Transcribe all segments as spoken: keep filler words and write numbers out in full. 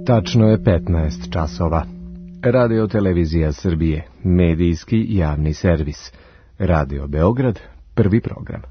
Tačno je petnaest časova. Radio Televizija Srbije, medijski javni servis. Radio Beograd, prvi program.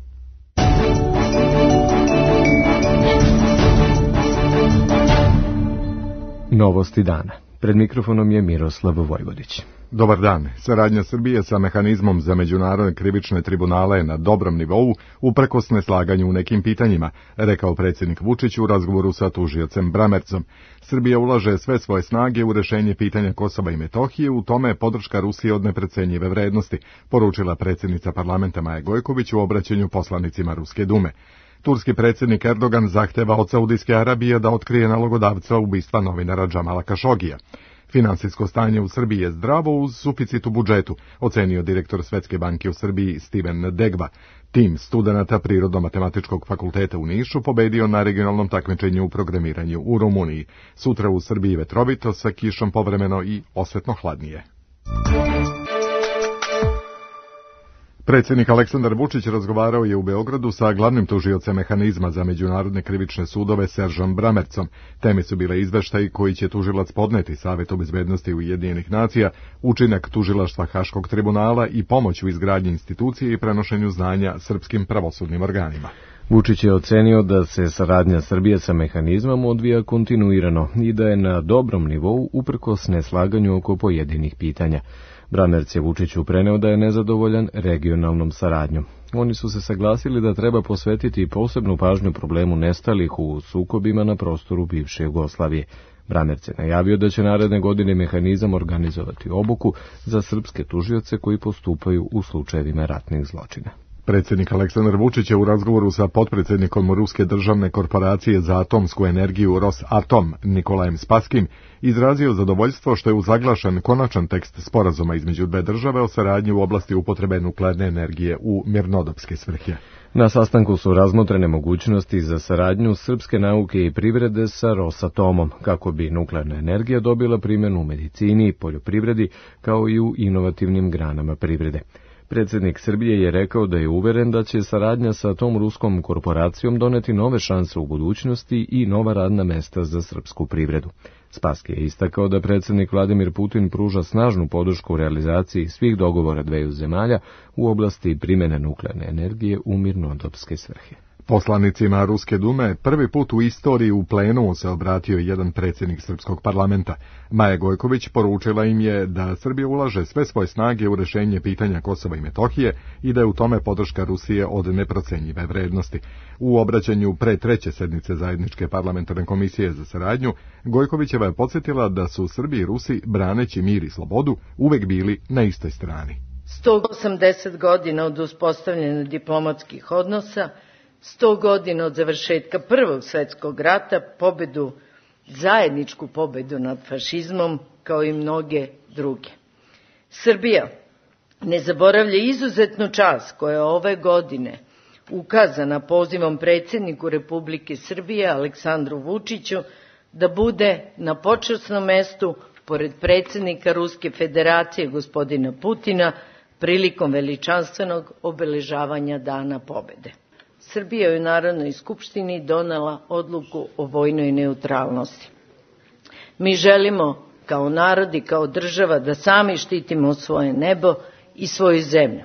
Novosti dana. Pred mikrofonom je Miroslav Vojvodić. Dobar dan. Saradnja Srbije sa mehanizmom za međunarodne krivične tribunale je na dobrom nivou uprkos neslaganju u nekim pitanjima, rekao predsjednik Vučić u razgovoru sa tužiocem Bramercom. Srbija ulaže sve svoje snage u rešenje pitanja Kosova i Metohije, u tome je podrška Rusije od neprecenjive vrednosti, poručila predsjednica parlamenta Maja Gojković u obraćanju poslanicima Ruske dume. Turski predsjednik Erdogan zahteva od Saudijske Arabije da otkrije nalogodavca ubistva novinara Džamala Kašogija. Finansijsko stanje u Srbiji je zdravo uz suficit u budžetu, ocenio direktor Svetske banke u Srbiji Steven Degba. Tim studenata Prirodno-matematičkog fakulteta u Nišu pobedio na regionalnom takmičenju u programiranju u Rumuniji. Sutra u Srbiji vetrovito sa kišom povremeno i osvetno hladnije. Predsjednik Aleksandar Vučić razgovarao je u Beogradu sa glavnim tužiocem mehanizma za međunarodne krivične sudove Seržom Bramercom. Teme su bile izveštaji koji će tužilac podneti Savetu bezbednosti Ujedinjenih nacija, učinak tužilaštva Haškog tribunala i pomoć u izgradnji institucije i prenošenju znanja srpskim pravosudnim organima. Vučić je ocenio da se saradnja Srbije sa mehanizmom odvija kontinuirano i da je na dobrom nivou uprkos neslaganju oko pojedinih pitanja. Bramerc je Vučiću preneo da je nezadovoljan regionalnom saradnjom. Oni su se saglasili da treba posvetiti posebnu pažnju problemu nestalih u sukobima na prostoru bivše Jugoslavije. Bramerc je najavio da će naredne godine mehanizam organizovati obuku za srpske tužioce koji postupaju u slučajevima ratnih zločina. Predsjednik Aleksandar Vučić je u razgovoru sa potpredsjednikom Ruske državne korporacije za atomsku energiju Rosatom Nikolajem Spaskim izrazio zadovoljstvo što je uzaglašen konačan tekst sporazuma između dve države o saradnji u oblasti upotrebe nuklearne energije u mirnodopske svrhe. Na sastanku su razmotrene mogućnosti za saradnju srpske nauke i privrede sa Rosatomom, kako bi nuklearna energija dobila primjenu u medicini i poljoprivredi, kao i u inovativnim granama privrede. Predsjednik Srbije je rekao da je uveren da će saradnja sa tom ruskom korporacijom doneti nove šanse u budućnosti i nova radna mesta za srpsku privredu. Spassky je istakao da predsjednik Vladimir Putin pruža snažnu podršku u realizaciji svih dogovora dveju zemalja u oblasti primjene nuklearne energije u mirnodopske svrhe. Poslanicima Ruske dume prvi put u istoriji u plenumu se obratio jedan predsjednik srpskog parlamenta. Maja Gojković poručila im je da Srbija ulaže sve svoje snage u rešenje pitanja Kosova i Metohije i da je u tome podrška Rusije od neprocenjive vrednosti. U obraćanju pre treće sednice zajedničke parlamentarne komisije za saradnju, Gojkovićeva je podsjetila da su Srbi i Rusi, braneći mir i slobodu, uvek bili na istoj strani. sto osamdeset godina od uspostavljanja diplomatskih odnosa, sto godina od završetka Prvog svjetskog rata, pobedu, zajedničku pobedu nad fašizmom, kao i mnoge druge. Srbija ne zaboravlja izuzetnu čast koja je ove godine ukazana pozivom predsjedniku Republike Srbije Aleksandru Vučiću da bude na počasnom mestu pored predsjednika Ruske federacije gospodina Putina prilikom veličanstvenog obeležavanja Dana pobede. Srbija je u Narodnoj skupštini donela odluku o vojnoj neutralnosti. Mi želimo kao narod i kao država da sami štitimo svoje nebo i svoju zemlju.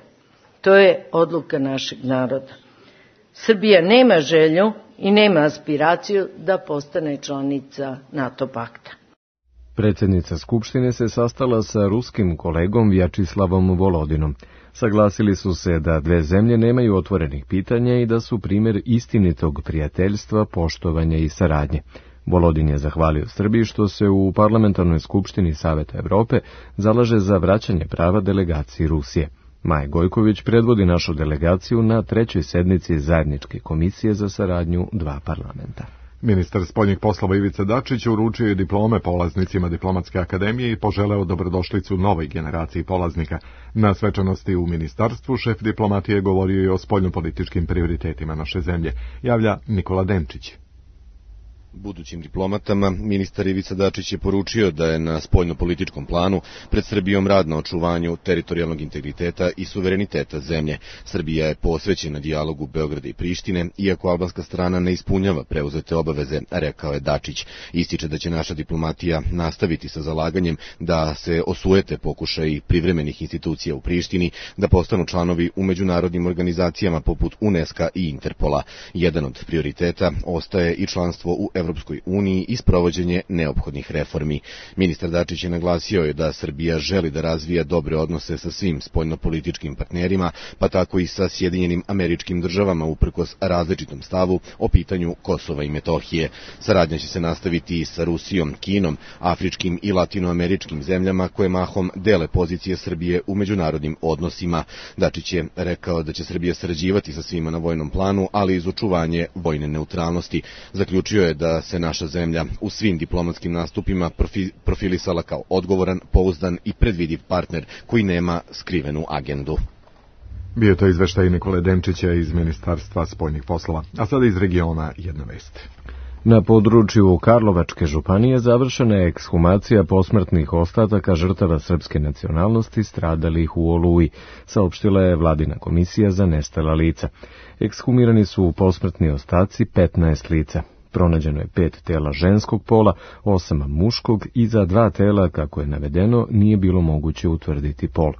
To je odluka našeg naroda. Srbija nema želju i nema aspiraciju da postane članica NATO pakta. Predsjednica Skupštine se sastala sa ruskim kolegom Vjačislavom Volodinom. Saglasili su se da dve zemlje nemaju otvorenih pitanja i da su primjer istinitog prijateljstva, poštovanja i saradnje. Volodin je zahvalio Srbiji što se u Parlamentarnoj skupštini Saveta Evrope zalaže za vraćanje prava delegaciji Rusije. Maja Gojković predvodi našu delegaciju na trećoj sednici zajedničke komisije za saradnju dva parlamenta. Ministar spoljnih poslova Ivica Dačić uručio je diplome polaznicima Diplomatske akademije i poželeo dobrodošlicu novoj generaciji polaznika. Na svečanosti u ministarstvu šef diplomatije govorio je o spoljnopolitičkim prioritetima naše zemlje, javlja Nikola Denčić. Budućim diplomatama ministar Ivica Dačić je poručio da je na spoljnopolitičkom planu pred Srbijom rad na očuvanju teritorijalnog integriteta i suvereniteta zemlje. Srbija je posvećena dijalogu Beograda i Prištine, iako albanska strana ne ispunjava preuzete obaveze, rekao je Dačić. Ističe da će naša diplomatija nastaviti sa zalaganjem da se osujete pokušaji privremenih institucija u Prištini da postanu članovi u međunarodnim organizacijama poput UNESCO i Interpola. Jedan od prioriteta ostaje i članstvo u Evropskoj uniji i sprovođenje neophodnih reformi. Ministar Dačić je naglasio je da Srbija želi da razvija dobre odnose sa svim spoljnopolitičkim partnerima, pa tako i sa Sjedinjenim Američkim Državama uprkos različitom stavu o pitanju Kosova i Metohije. Saradnja će se nastaviti i sa Rusijom, Kinom, afričkim i latinoameričkim zemljama koje mahom dele pozicije Srbije u međunarodnim odnosima. Dačić je rekao da će Srbija sarađivati sa svima na vojnom planu, ali iz očuvanje vojne neutralnosti. Zaključio je da se naša zemlja u svim diplomatskim nastupima profilisala kao odgovoran, pouzdan i predvidiv partner koji nema skrivenu agendu. Bio to izveštaj Nikole Demčića iz Ministarstva spoljnih poslova, a sada iz regiona jedna vest. Na području Karlovačke županije završena je ekshumacija posmrtnih ostataka žrtava srpske nacionalnosti stradalih u Oluji, saopštila je Vladina komisija za nestala lica. Ekshumirani su posmrtni ostaci petnaest lica. Pronađeno je pet tela ženskog pola, osam muškog i za dva tela, kako je navedeno, nije bilo moguće utvrditi pol.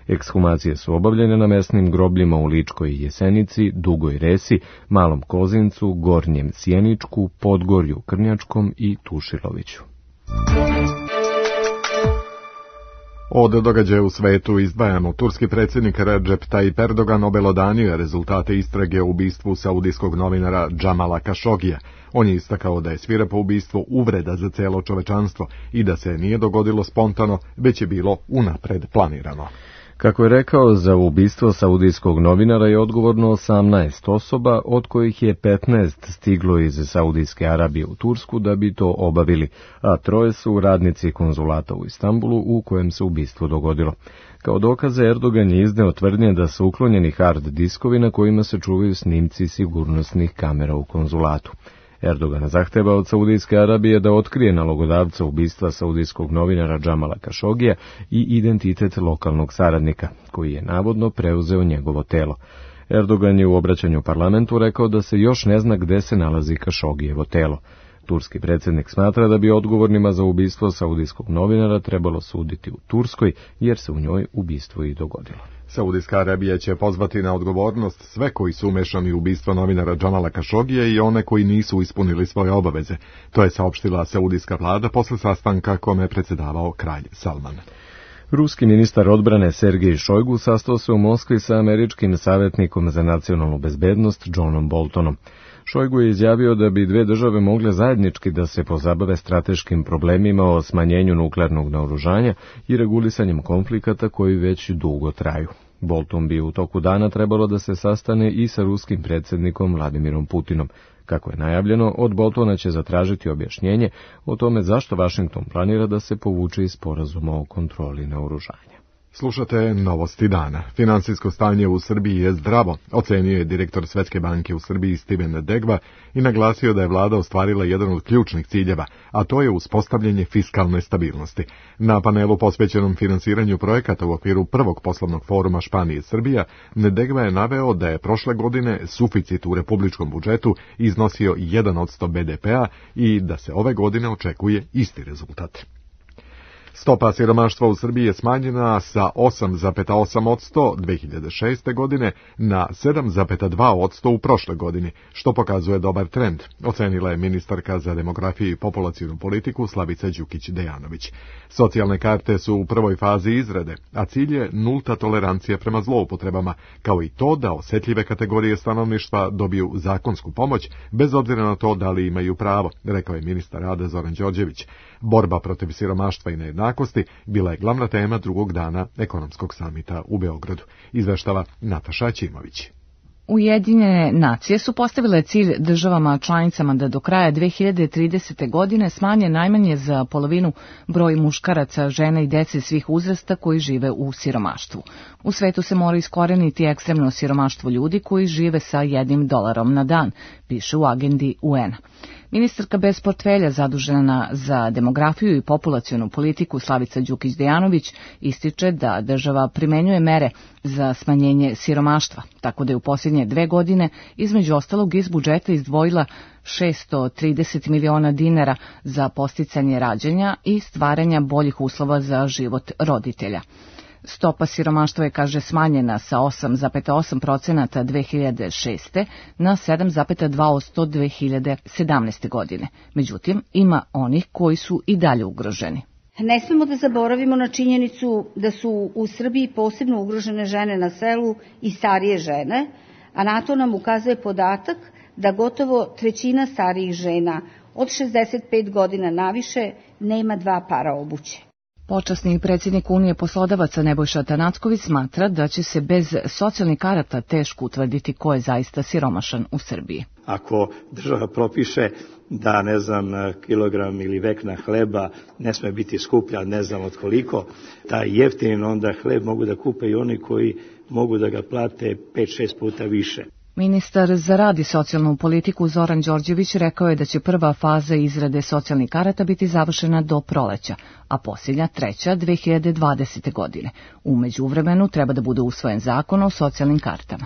Ekshumacije su obavljene na mesnim grobljima u Ličkoj i Jesenici, Dugoj Resi, Malom Kozincu, Gornjem Sjeničku, Podgorju Krnjačkom i Tušiloviću. Od događaja u svetu izdvajamo. Turski predsjednik Recep Tayyip Erdogan obelodanio je rezultate istrage o ubistvu saudijskog novinara Džamala Kašogija. On je istakao da je svirepo ubistvo uvreda za cijelo čovečanstvo i da se nije dogodilo spontano, već je bilo unapred planirano. Kako je rekao, za ubistvo saudijskog novinara je odgovorno osamnaest osoba, od kojih je petnaest stiglo iz Saudijske Arabije u Tursku da bi to obavili, a troje su radnici konzulata u Istanbulu u kojem se ubistvo dogodilo. Kao dokaze Erdogan je izneo tvrdnje da su uklonjeni hard diskovi na kojima se čuvaju snimci sigurnosnih kamera u konzulatu. Erdogan zahteva od Saudijske Arabije da otkrije nalogodavca ubistva saudijskog novinara Džamala Kašogija i identitet lokalnog saradnika, koji je navodno preuzeo njegovo telo. Erdogan je u obraćanju parlamentu rekao da se još ne zna gde se nalazi Kašogijevo telo. Turski predsjednik smatra da bi odgovornima za ubistvo saudijskog novinara trebalo suditi u Turskoj, jer se u njoj ubistvo i dogodilo. Saudijska Arabija će pozvati na odgovornost sve koji su umešani u ubistvo novinara Džamala Kašogija i one koji nisu ispunili svoje obaveze. To je saopštila saudijska vlada posle sastanka kome je predsjedavao kralj Salman. Ruski ministar odbrane Sergej Šojgu sastao se u Moskvi sa američkim savjetnikom za nacionalnu bezbednost Johnom Boltonom. Šojgu je izjavio da bi dve države mogle zajednički da se pozabave strateškim problemima o smanjenju nuklearnog naoružanja i regulisanjem konflikata koji već dugo traju. Bolton bi u toku dana trebalo da se sastane i sa ruskim predsjednikom Vladimirom Putinom. Kako je najavljeno, od Boltona će zatražiti objašnjenje o tome zašto Vašington planira da se povuče iz sporazuma o kontroli naoružanja. Slušate novosti dana. Finansijsko stanje u Srbiji je zdravo, ocenio je direktor Svetske banke u Srbiji Steven Degva i naglasio da je vlada ostvarila jedan od ključnih ciljeva, a to je uspostavljanje fiskalne stabilnosti. Na panelu posvećenom finansiranju projekata u okviru prvog poslovnog foruma Španije Srbija, Degva je naveo da je prošle godine suficit u republičkom budžetu iznosio jedan posto be de pe-a i da se ove godine očekuje isti rezultat. Stopa siromaštva u Srbiji je smanjena sa osam zarez osam posto dve hiljade šeste. godine na sedam zarez dva posto u prošle godini, što pokazuje dobar trend, ocenila je ministarka za demografiju i populacionu politiku Slavica Đukić-Dejanović. Socijalne karte su u prvoj fazi izrade, a cilj je nulta tolerancija prema zloupotrebama, kao i to da osetljive kategorije stanovništva dobiju zakonsku pomoć, bez obzira na to da li imaju pravo, rekao je ministar rada Zoran Đorđević. Borba protiv siromaštva i nejednakosti bila je glavna tema drugog dana ekonomskog samita u Beogradu, izveštava Nataša Ćimović. Ujedinjene nacije su postavile cilj državama članicama da do kraja dve hiljade tridesete. godine smanje najmanje za polovinu broj muškaraca, žena i dece svih uzrasta koji žive u siromaštvu. U svetu se mora iskoreniti ekstremno siromaštvo ljudi koji žive sa jednim dolarom na dan, piše u agendi u en a. Ministarka bez portfelja zadužena za demografiju i populacionu politiku Slavica Đukić-Dejanović ističe da država primenjuje mere za smanjenje siromaštva, tako da je u posljednje dve godine između ostalog iz budžeta izdvojila šesto trideset miliona dinara za podsticanje rađanja i stvaranja boljih uslova za život roditelja. Stopa siromaštva je, kaže, smanjena sa osam zarez osam procenata dve hiljade šeste na sedam zarez dva posto dve hiljade sedamnaeste. godine. Međutim, ima onih koji su i dalje ugroženi. Ne smemo da zaboravimo na činjenicu da su u Srbiji posebno ugrožene žene na selu i starije žene, a na to nam ukazuje podatak da gotovo trećina starijih žena od šezdeset pet godina naviše nema dva para obuće. Počasni predsjednik Unije poslodavaca Nebojša Tanacković smatra da će se bez socijalnih karata teško utvrditi ko je zaista siromašan u Srbiji. Ako država propiše da, ne znam, kilogram ili vekna hleba ne sme biti skuplja, ne znam od koliko, taj jeftin onda hleb mogu da kupe i oni koji mogu da ga plate pet šest puta više. Ministar za rad i socijalnu politiku Zoran Đorđević rekao je da će prva faza izrade socijalnih karata biti završena do proleća, a posljednja treća dve hiljade dvadesete. godine. U međuvremenu treba da bude usvojen zakon o socijalnim kartama.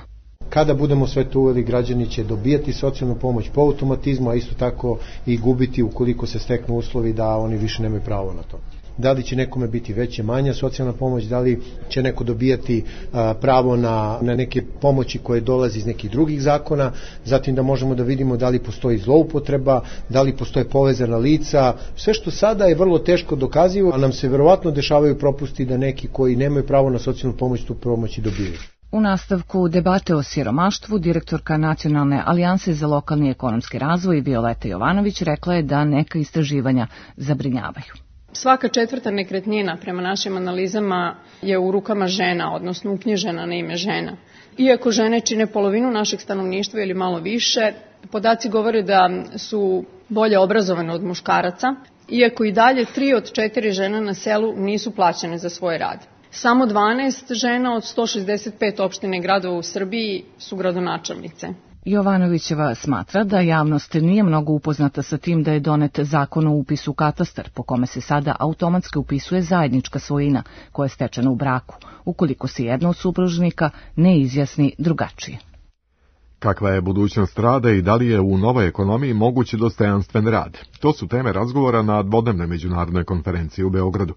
Kada budemo sve to uveli, građani će dobijati socijalnu pomoć po automatizmu, a isto tako i gubiti ukoliko se steknu uslovi da oni više nemaju pravo na to. Da li će nekome biti veća, manja socijalna pomoć, da li će neko dobijati a, pravo na, na neke pomoći koje dolazi iz nekih drugih zakona, zatim da možemo da vidimo da li postoji zloupotreba, da li postoje povezana lica, sve što sada je vrlo teško dokazivo, a nam se verovatno dešavaju propusti da neki koji nemaju pravo na socijalnu pomoć tu pomoć i dobiju. U nastavku debate o siromaštvu, direktorka Nacionalne alijanse za lokalni ekonomski razvoj Violeta Jovanović rekla je da neka istraživanja zabrinjavaju. Svaka četvrta nekretnina prema našim analizama je u rukama žena, odnosno uknjižena na ime žena. Iako žene čine polovinu našeg stanovništva ili malo više, podaci govore da su bolje obrazovane od muškaraca, iako i dalje tri od četiri žena na selu nisu plaćene za svoj rad. Samo dvanaest žena od sto šezdeset pet opština i gradova u Srbiji su gradonačelnice. Jovanovićeva smatra da javnost nije mnogo upoznata sa tim da je donet zakon o upisu u katastar, po kome se sada automatski upisuje zajednička svojina koja je stečena u braku, ukoliko se jedna od supružnika ne izjasni drugačije. Kakva je budućnost rada i da li je u novoj ekonomiji mogući dostojanstven rad? To su teme razgovora na dvodnevnoj međunarodnoj konferenciji u Beogradu.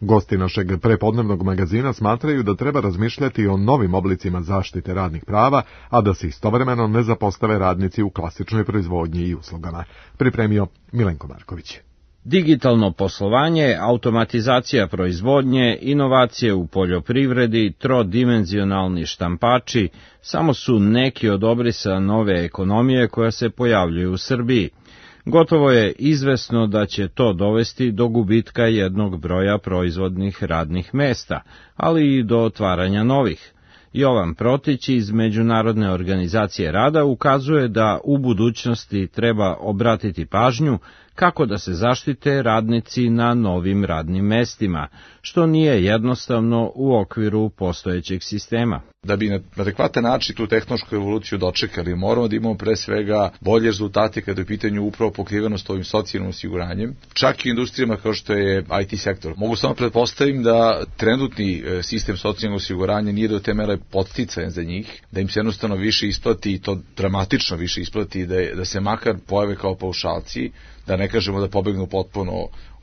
Gosti našeg prepodnevnog magazina smatraju da treba razmišljati o novim oblicima zaštite radnih prava, a da se istovremeno ne zapostave radnici u klasičnoj proizvodnji i uslugama. Pripremio Milenko Marković. Digitalno poslovanje, automatizacija proizvodnje, inovacije u poljoprivredi, trodimenzionalni štampači samo su neki od obrisa nove ekonomije koja se pojavljuju u Srbiji. Gotovo je izvesno da će to dovesti do gubitka jednog broja proizvodnih radnih mesta, ali i do otvaranja novih. Jovan Protić iz Međunarodne organizacije rada ukazuje da u budućnosti treba obratiti pažnju kako da se zaštite radnici na novim radnim mestima, što nije jednostavno u okviru postojećeg sistema. Da bi na adekvatan način tu tehnološku evoluciju dočekali, moramo da imamo pre svega bolje rezultate kada je u pitanju upravo pokrivenost ovim socijalnim osiguranjem, čak i industrijama kao što je I T sektor. Mogu samo pretpostavim da trenutni sistem socijalnog osiguranja nije do te mere podsticajan za njih, da im se jednostavno više isplati i to dramatično više isplati, da, je, da se makar pojave kao paušalci, da ne kažemo da pobegnu potpuno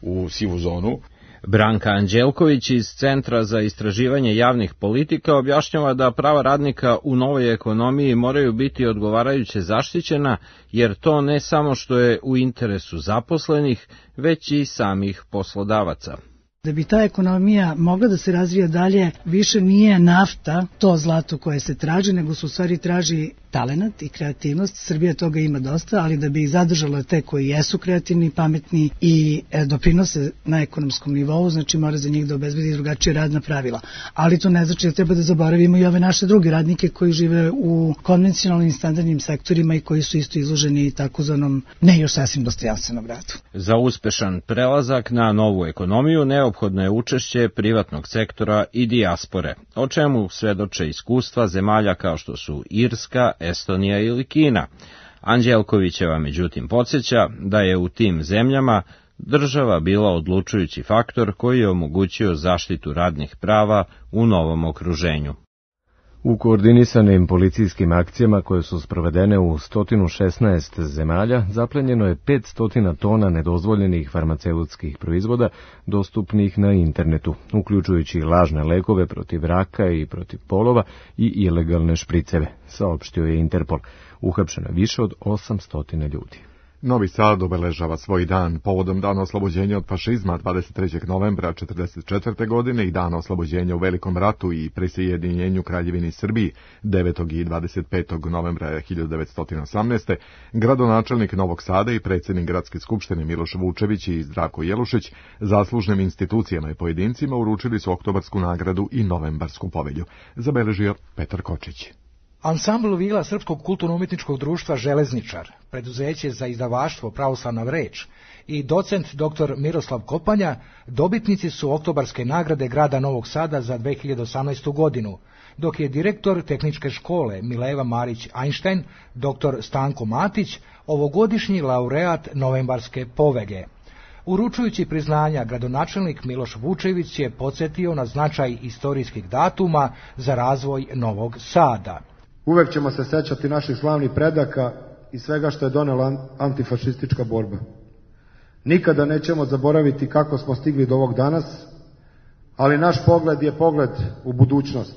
u sivu zonu. Branka Anđelković iz Centra za istraživanje javnih politika objašnjava da prava radnika u novoj ekonomiji moraju biti odgovarajuće zaštićena, jer to ne samo što je u interesu zaposlenih, već i samih poslodavaca. Da bi ta ekonomija mogla da se razvija dalje, više nije nafta to zlato koje se traži, nego se u stvari traži talenat i kreativnost. Srbija toga ima dosta, ali da bi ih zadržala te koji jesu kreativni, pametni i e, doprinose na ekonomskom nivou, znači mora za njih da obezbedi drugačije radna pravila. Ali to ne znači da treba da zaboravimo i ove naše druge radnike koji žive u konvencionalnim standardnim sektorima i koji su isto izloženi takozvanom ne još sasvim dostojanstvenom radu. Za uspešan prelazak na novu ekonomiju neophodno je učešće privatnog sektora i dijaspore, o čemu svedoče iskustva zemalja kao što su Irska, Estonija ili Kina. Anđelkovićeva međutim podsjeća da je u tim zemljama država bila odlučujući faktor koji je omogućio zaštitu radnih prava u novom okruženju. U koordinisanim policijskim akcijama koje su sprovedene u sto šesnaest zemalja zaplenjeno je petsto tona nedozvoljenih farmaceutskih proizvoda dostupnih na internetu, uključujući lažne lekove protiv raka i protiv polova i ilegalne špriceve, saopštio je Interpol. Uhapšeno je više od osamsto ljudi. Novi Sad obeležava svoj dan povodom dana oslobođenja od fašizma dvadeset trećeg novembra četrdeset četvrte. godine i dana oslobođenja u Velikom ratu i prisjedinjenju Kraljevini Srbiji devetog i dvadeset petog novembra hiljadu devetsto osamnaeste. Gradonačelnik Novog Sada i predsjednik Gradske skupštine Miloš Vučević i Zdravko Jelušić zaslužnim institucijama i pojedincima uručili su oktobarsku nagradu i novembarsku povelju, zabeležio Petar Kočić. Ansambl vila Srpskog kulturno-umjetničkog društva Železničar, preduzeće za izdavaštvo Pravoslavna reč i docent doktor Miroslav Kopanja dobitnici su oktobarske nagrade grada Novog Sada za dve hiljade osamnaestu. godinu, dok je direktor tehničke škole Mileva Marić-Einstein, doktor Stanko Matić, ovogodišnji laureat novembarske povelje. Uručujući priznanja, gradonačelnik Miloš Vučević je podsjetio na značaj istorijskih datuma za razvoj Novog Sada. Uvek ćemo se sećati naših slavnih predaka i svega što je donela antifašistička borba. Nikada nećemo zaboraviti kako smo stigli do ovog danas, ali naš pogled je pogled u budućnost.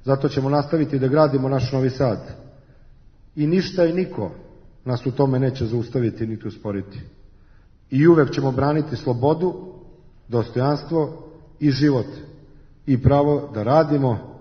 Zato ćemo nastaviti da gradimo naš Novi Sad. I ništa i niko nas u tome neće zaustaviti niti usporiti. I uvek ćemo braniti slobodu, dostojanstvo i život i pravo da radimo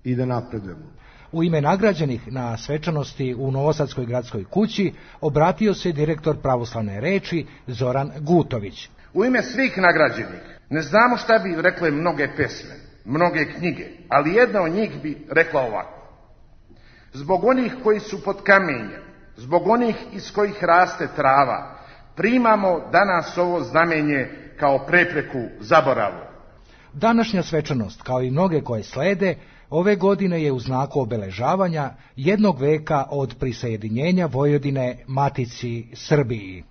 i da napredujemo. U ime nagrađenih na svečanosti u Novosadskoj gradskoj kući obratio se direktor Pravoslavne reči Zoran Gutović. U ime svih nagrađenih ne znamo šta bi rekle mnoge pesme, mnoge knjige, ali jedna od njih bi rekla ovako. Zbog onih koji su pod kamenjem, zbog onih iz kojih raste trava, primamo danas ovo znamenje kao prepreku zaboravu. Današnja svečanost, kao i mnoge koje slede, ove godine je u znaku obeležavanja jednog veka od prisajedinjenja Vojvodine Matici Srbiji.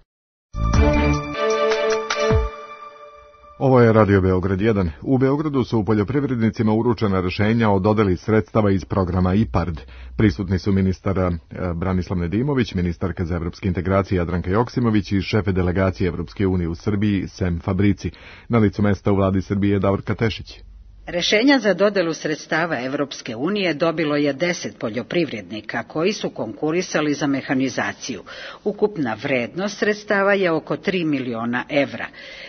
Ovo je Radio Beograd jedan. U Beogradu su poljoprivrednicima uručena rješenja o dodeli sredstava iz programa IPARD. Prisutni su ministar Branislav Nedimović, ministarka za evropske integracije Jadranka Joksimović i šefe delegacije Evropske unije u Srbiji Sem Fabrici. Na licu mesta u vladi Srbije Davorka Tešić. Rešenja za dodelu sredstava Evropske unije dobilo je deset poljoprivrednika koji su konkurisali za mehanizaciju. Ukupna vrednost sredstava je oko tri miliona evra.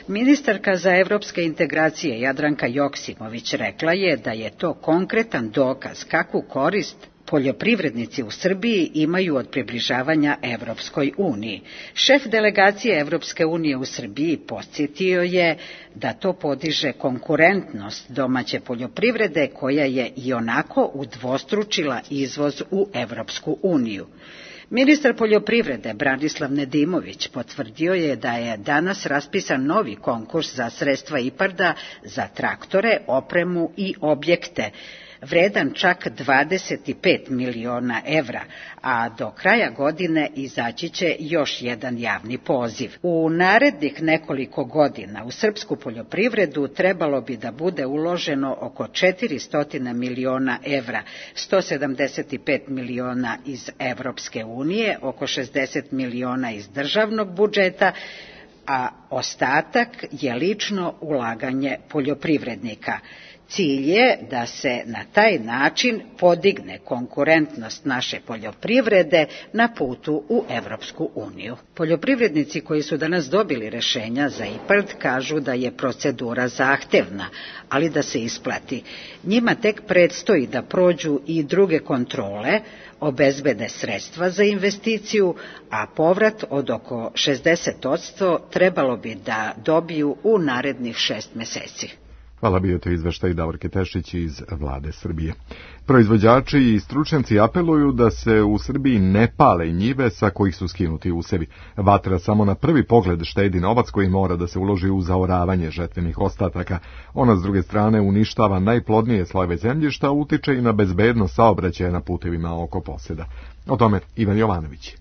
Ministarka za evropske integracije Jadranka Joksimović rekla je da je to konkretan dokaz kakvu korist poljoprivrednici u Srbiji imaju od približavanja Evropskoj uniji. Šef delegacije Evropske unije u Srbiji podsjetio je da to podiže konkurentnost domaće poljoprivrede koja je i onako udvostručila izvoz u Evropsku uniju. Ministar poljoprivrede Branislav Nedimović potvrdio je da je danas raspisan novi konkurs za sredstva IPARD-a za traktore, opremu i objekte, vredan čak dvadeset pet miliona evra, a do kraja godine izaći će još jedan javni poziv. U narednih nekoliko godina u srpsku poljoprivredu trebalo bi da bude uloženo oko četiristo miliona evra, sto sedamdeset pet miliona iz Evropske unije, oko šezdeset miliona iz državnog budžeta, a ostatak je lično ulaganje poljoprivrednika. Cilj je da se na taj način podigne konkurentnost naše poljoprivrede na putu u Evropsku uniju. Poljoprivrednici koji su danas dobili rešenja za IPARD kažu da je procedura zahtevna, ali da se isplati. Njima tek predstoji da prođu i druge kontrole, obezbede sredstva za investiciju, a povrat od oko šezdeset posto trebalo bi da dobiju u narednih šest meseci. Hvala, bio to izveštaj Davorke Tešić iz vlade Srbije. Proizvođači i stručnjaci apeluju da se u Srbiji ne pale njive sa kojih su skinuti usevi. Vatra samo na prvi pogled štedi novac koji mora da se uloži u zaoravanje žetvenih ostataka. Ona s druge strane uništava najplodnije slojeve zemljišta, utiče i na bezbednost saobraćaja na putevima oko poseda. O tome Ivan Jovanović.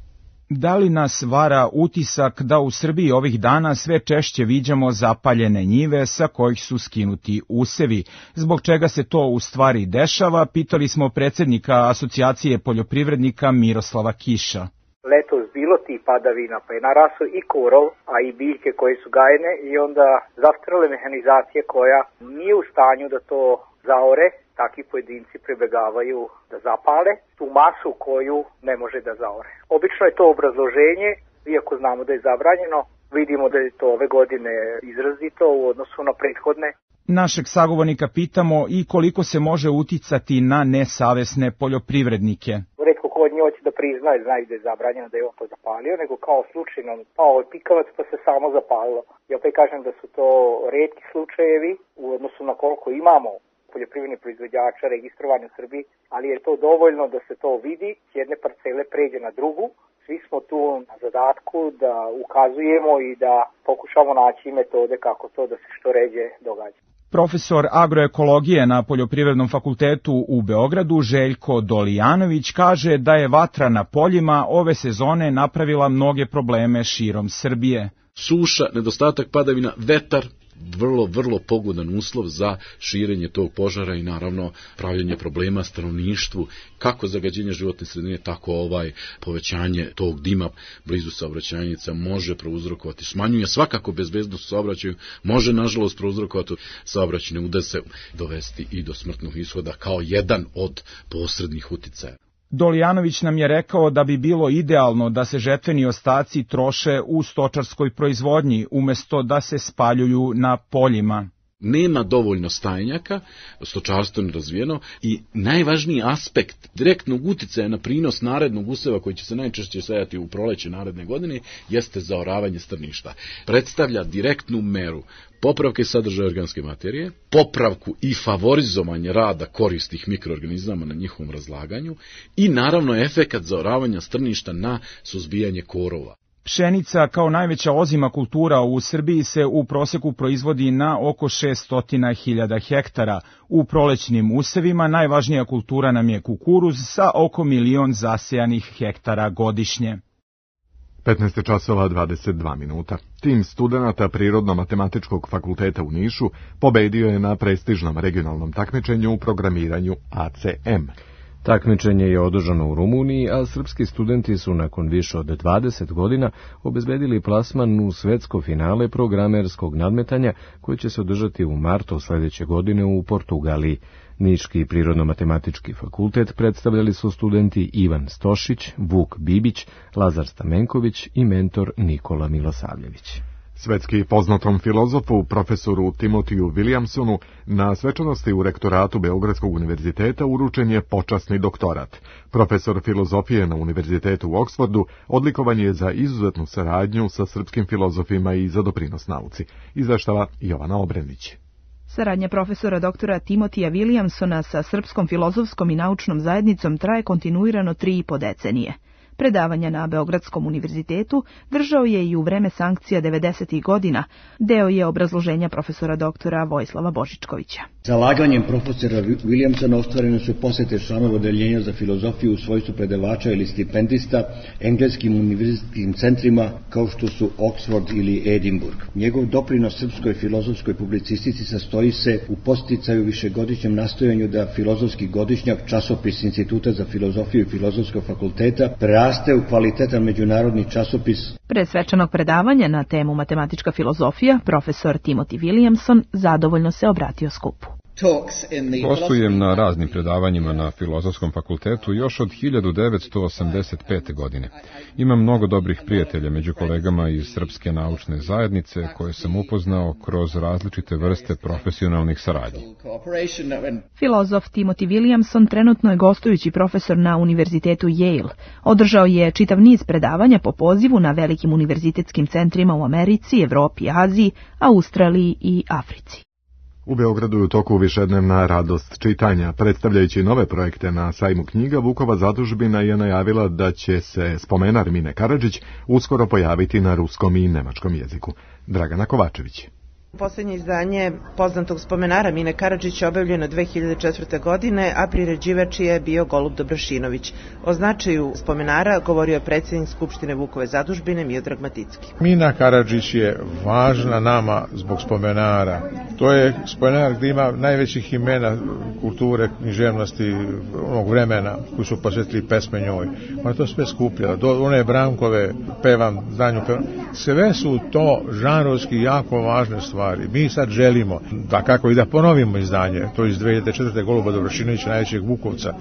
Da li nas vara utisak da u Srbiji ovih dana sve češće viđamo zapaljene njive sa kojih su skinuti usevi? Zbog čega se to u stvari dešava, pitali smo predsjednika Asocijacije poljoprivrednika Miroslava Kiša. Letos bilo ti padavina, pa je narasao i korov, a i biljke koje su gajene i onda zastarale mehanizacije koja nije u stanju da to zaore, takvi pojedinci pribegavaju da zapale tu masu koju ne može da zaore. Obično je to obrazloženje, iako znamo da je zabranjeno, vidimo da je to ove godine izrazito u odnosu na prethodne. Našeg sagovornika pitamo i koliko se može uticati na nesavesne poljoprivrednike. Retko ko od njih hoće da priznaje, znaju da je zabranjeno da je on to zapalio, nego kao slučajno pao je pikavac pa se samo zapalilo. Ja opet kažem da su to retki slučajevi u odnosu na koliko imamo poljoprivrednih proizvođača registrovani u Srbiji, ali je to dovoljno da se to vidi, s jedne parcele pređe na drugu. Svi smo tu na zadatku da ukazujemo i da pokušamo naći metode kako to da se što ređe događa. Profesor agroekologije na Poljoprivrednom fakultetu u Beogradu Željko Dolijanović kaže da je vatra na poljima ove sezone napravila mnoge probleme širom Srbije. Suša, nedostatak padavina, vetar, vrlo, vrlo pogodan uslov za širenje tog požara i naravno pravljenje problema stanovništvu, kako zagađenje životne sredine, tako ovaj povećanje tog dima blizu saobraćajnica može prouzrokovati, smanjuje svakako bezbednost u saobraćaju, može nažalost prouzrokovati saobraćajne udese, dovesti i do smrtnog ishoda kao jedan od posrednih uticaja. Dolijanović nam je rekao da bi bilo idealno da se žetveni ostaci troše u stočarskoj proizvodnji, umjesto da se spaljuju na poljima. Nema dovoljno stajnjaka, stočarstvo nerazvijeno i najvažniji aspekt direktnog uticaja na prinos narednog useva koji će se najčešće sejati u proleće naredne godine jeste zaoravanje strništa. Predstavlja direktnu meru popravke sadržaja organske materije, popravku i favorizovanje rada koristih mikroorganizama na njihovom razlaganju i naravno efekat zaoravanja strništa na suzbijanje korova. Pšenica kao najveća ozima kultura u Srbiji se u proseku proizvodi na oko šessto hiljada hektara. U prolećnim usevima najvažnija kultura nam je kukuruz sa oko milion zasejanih hektara godišnje. petnaest časova dvadeset dva minuta. Tim studenata Prirodno-matematičkog fakulteta u Nišu pobedio je na prestižnom regionalnom takmičenju u programiranju A C M. Takmičenje je održano u Rumuniji, a srpski studenti su nakon više od dvadeset godina obezbedili plasman u svetsko finale programerskog nadmetanja koje će se održati u martu sledeće godine u Portugaliji. Niški prirodno-matematički fakultet predstavljali su studenti Ivan Stošić, Vuk Bibić, Lazar Stamenković i mentor Nikola Milosavljević. Svetski poznatom filozofu, profesoru Timotiju Williamsonu, na svečanosti u rektoratu Beogradskog univerziteta uručen je počasni doktorat. Profesor filozofije na univerzitetu u Oksfordu odlikovan je za izuzetnu saradnju sa srpskim filozofima i za doprinos nauci. Izveštava Jovana Obrenić. Saradnja profesora doktora Timotija Williamsona sa Srpskom filozofskom i naučnom zajednicom traje kontinuirano tri i po decenije. Predavanja na Beogradskom univerzitetu držao je i u vreme sankcija devedesetih godina. Deo je obrazloženja profesora doktora Vojislava Božičkovića. Zalaganjem profesora Williamsona ostvarene su posete članova odeljenja za filozofiju u svojstvu predavača ili stipendista engleskim univerzitetskim centrima kao što su Oxford ili Edinburgh. Njegov doprinos srpskoj filozofskoj publicistici sastoji se u posticaju višegodišnjem nastojanju da filozofski godišnjak, časopis Instituta za filozofiju i Filozofskog fakulteta, raste u kvalitetan međunarodni časopis. Pre svečanog predavanja na temu matematička filozofija, profesor Timothy Williamson zadovoljno se obratio skupu. Gostujem na raznim predavanjima na Filozofskom fakultetu još od hiljadu devetsto osamdeset pete. godine. Imam mnogo dobrih prijatelja među kolegama iz Srpske naučne zajednice koje sam upoznao kroz različite vrste profesionalnih saradnji. Filozof Timothy Williamson trenutno je gostujući profesor na Univerzitetu Yale. Održao je čitav niz predavanja po pozivu na velikim univerzitetskim centrima u Americi, Evropi, Aziji, Australiji i Africi. U Beogradu je u toku višednevna radost čitanja. Predstavljajući nove projekte na sajmu knjiga, Vukova zadužbina je najavila da će se spomenar Mine Karadžić uskoro pojaviti na ruskom i nemačkom jeziku. Dragana Kovačević. Poslednje izdanje poznatog spomenara Mine Karadžića objavljeno dve hiljade četvrte. godine, a priređivač je bio Golub Dobrašinović. O značaju spomenara govorio je predsjednik Skupštine Vukove zadužbine Miodrag Maticki. Mina Karadžić je važna nama zbog spomenara. To je spomenar gdje ima najvećih imena kulture, književnosti onog vremena koji su posvetili pesme njoj. Ona to sve skupljala. Do one Brankove, pevam, danju pevam. Sve su to žanrovski jako važne stvari. Mi sad želimo da kako i da ponovimo izdanje, to iz dve hiljade četvrte. Goluba Dobrašinovića, najvećeg Vukovca,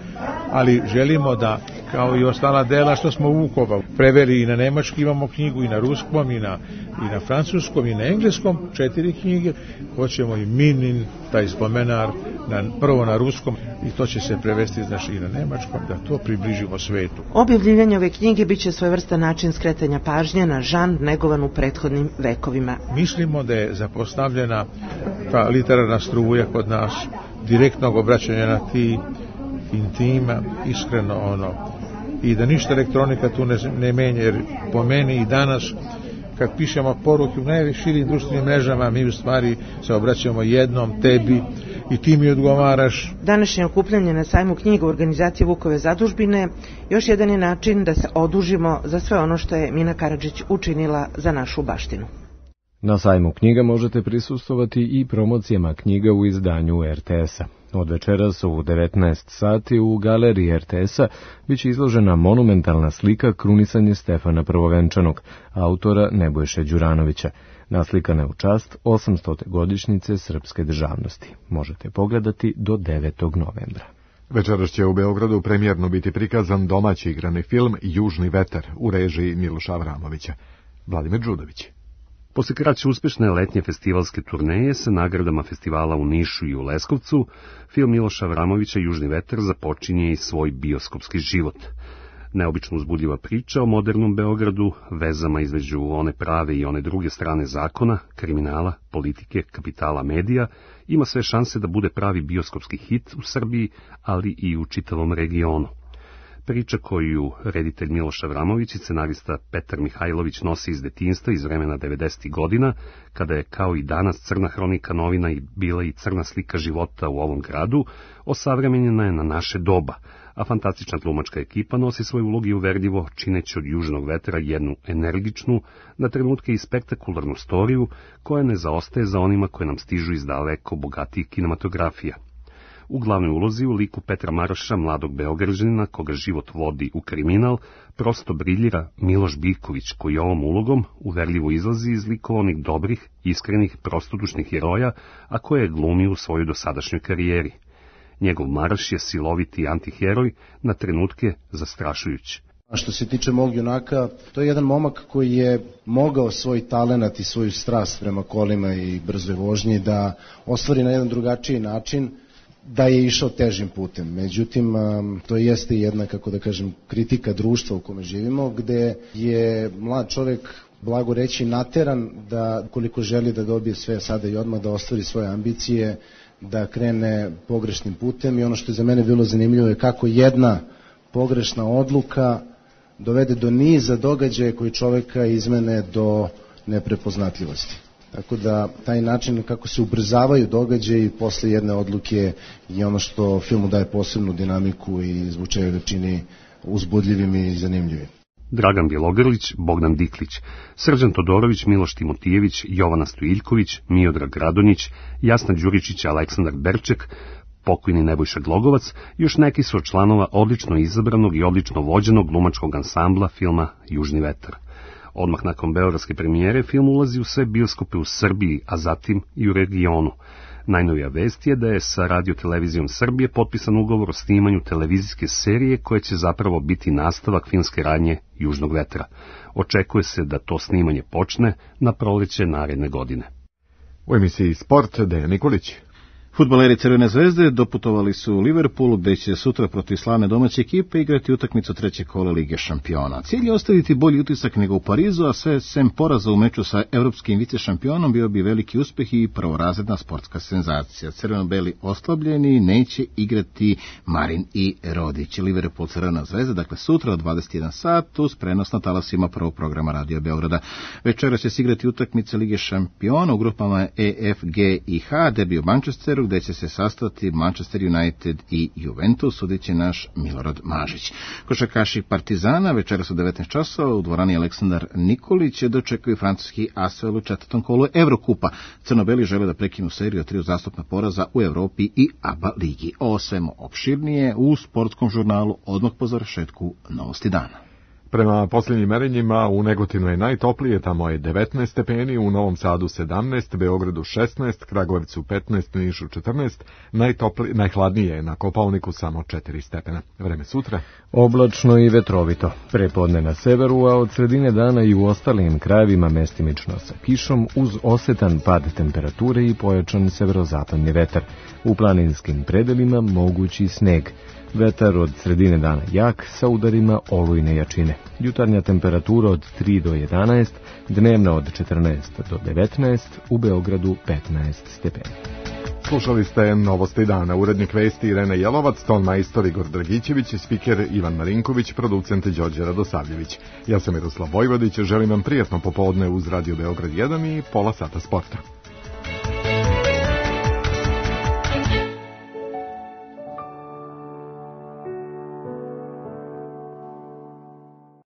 ali želimo da, kao i ostala dela što smo Vukova preveli i na nemački, imamo knjigu i na ruskom, i na, i na francuskom, i na engleskom, četiri knjige, hoćemo i Minin, taj spomenar, na, prvo na ruskom, i to će se prevesti znači, i na nemačkom, da to približimo svetu. Objavljivanje ove knjige biće svojevrstan način skretanja pažnje na žanr negovan u prethodnim vekovima. Mislimo da je zapostavljena ta literarna struja kod nas, direktnog obraćanja na ti, intima, iskreno ono, i da ništa elektronika tu ne, ne menja, jer po meni i danas kad pišemo poruke u najširim društvenim mrežama, mi u stvari se obraćamo jednom, tebi, i ti mi odgovaraš. Današnje okupljanje na sajmu knjiga u organizaciji Vukove zadužbine još jedan je način da se odužimo za sve ono što je Mina Karadžić učinila za našu baštinu. Na sajmu knjiga možete prisustvovati i promocijama knjiga u izdanju er te es-a. Od večeras u devetnaest sati u galeriji er te es-a biće izložena monumentalna slika Krunisanje Stefana Prvovenčanog, autora Nebojše Đuranovića, naslikana u čast osamstote godišnjice srpske državnosti. Možete pogledati do devetog novembra. Večeras će u Beogradu premijerno biti prikazan domaći igrani film Južni vetar u režiji Miloša Avramovića. Vladimir Đudović. Posle kraće uspešne letnje festivalske turneje sa nagradama festivala u Nišu i u Leskovcu, film Miloša Avramovića Južni vetar započinje i svoj bioskopski život. Neobično uzbudljiva priča o modernom Beogradu, vezama između one prave i one druge strane zakona, kriminala, politike, kapitala, medija, ima sve šanse da bude pravi bioskopski hit u Srbiji, ali i u čitavom regionu. Priča koju reditelj Miloš Avramović i scenarista Petar Mihajlović nosi iz detinjstva iz vremena devedesetih godina, kada je kao i danas crna hronika novina i bila i crna slika života u ovom gradu, osavremenjena je na naše doba, a fantastična glumačka ekipa nosi svoj ulog i uverljivo, čineći od Južnog vetra jednu energičnu, na trenutke i spektakularnu storiju, koja ne zaostaje za onima koje nam stižu iz daleko bogatijih kinematografija. U glavnoj ulozi u liku Petra Maroša, mladog Beograđanina, koga život vodi u kriminal, prosto briljira Miloš Biković, koji ovom ulogom uverljivo izlazi iz likova onih dobrih, iskrenih, prostodušnih heroja, a koje je glumio u svojoj dosadašnjoj karijeri. Njegov Maroš je siloviti antiheroj, na trenutke zastrašujući. A što se tiče mog junaka, to je jedan momak koji je mogao svoj talenat i svoju strast prema kolima i brzoj vožnji da ostvari na jedan drugačiji način, da je išao težim putem. Međutim, to jeste jedna, kako da kažem, kritika društva u kome živimo, gde je mlad čovjek, blago reći, nateran da koliko želi da dobije sve sada i odmah, da ostvari svoje ambicije, da krene pogrešnim putem. I ono što je za mene bilo zanimljivo je kako jedna pogrešna odluka dovede do niza događaja koji čovjeka izmene do neprepoznatljivosti. Tako da taj način kako se ubrzavaju događaji posle jedne odluke je ono što filmu daje posebnu dinamiku i zbog čega ga čini uzbudljivim i zanimljivim. Dragan Bjelogrlić, Bogdan Diklić, Srđan Todorović, Miloš Timotijević, Jovana Stojiljković, Miodrag Radonjić, Jasna Đuričić, Aleksandar Berček, pokojni Nebojša Glogovac, još neki su od članova odlično izabranog i odlično vođenog glumačkog ansambla filma Južni vetar. Odmah nakon beogradske premijere film ulazi u sve bioskope u Srbiji, a zatim i u regionu. Najnovija vest je da je sa Radio-televizijom Srbije potpisan ugovor o snimanju televizijske serije koja će zapravo biti nastavak filmske radnje Južnog vetra. Očekuje se da to snimanje počne na proleće naredne godine. U emisiji Sport Dejan Nikolić. Fudbaleri Crvene zvezde doputovali su u Liverpoolu, gde će sutra protiv slavne domaće ekipe igrati utakmicu trećeg kola Lige šampiona. Cilj je ostaviti bolji utisak nego u Parizu, a sve sem poraza u meču sa evropskim vice šampionom bio bi veliki uspeh i prvorazredna sportska senzacija. Crveno-beli oslabljeni neće igrati Marin i Rodić. Liverpool Crvena zvezda, dakle sutra od dvadeset jedan sat uz prenos na talasima prvog programa Radio Beograda. Večera će se igrati utakmice Lige šampiona u grupama E, F, G i H, derbi u Manchesteru, gde će se sastati Manchester United i Juventus, sudit će naš Milorad Mažić. Košarkaši Partizana večeras u devetnaest časova u dvorani Aleksandar Nikolić dočekaju francuski Asvel u četvrtom kolu Evrokupa. Crnobeli žele da prekinu seriju tri uzastopna poraza u Evropi i A B A ligi. O svemu opširnije u sportskom žurnalu odmah po završetku Novosti dana. Prema posljednjim merenjima u Negotinu je najtoplije, tamo je devetnaest stepeni, u Novom Sadu sedamnaest, Beogradu šesnaest, Kragujevcu petnaest, Nišu četrnaest, najtopli, najhladnije je na Kopaoniku samo četiri stepena. Vreme sutra. Oblačno i vetrovito. Prepodne na severu, a od sredine dana i u ostalim krajevima mestimično sa kišom uz osetan pad temperature i pojačan severozapadni vetar. U planinskim predelima mogući sneg. Vetar od sredine dana jak sa udarima olujne jačine. Jutarnja temperatura od tri do jedanaest, dnevna od četrnaest do devetnaest, u Beogradu petnaest stepeni. Slušali ste Novosti dana, urednik vesti Irena Jelovac, ton majstor Igor Dragićević, spiker Ivan Marinković, producent Đorđe Radosavljević. Ja sam Miroslav Vojvodić, želim vam prijatno popodne uz Radio Beograd jedan i pola sata sporta.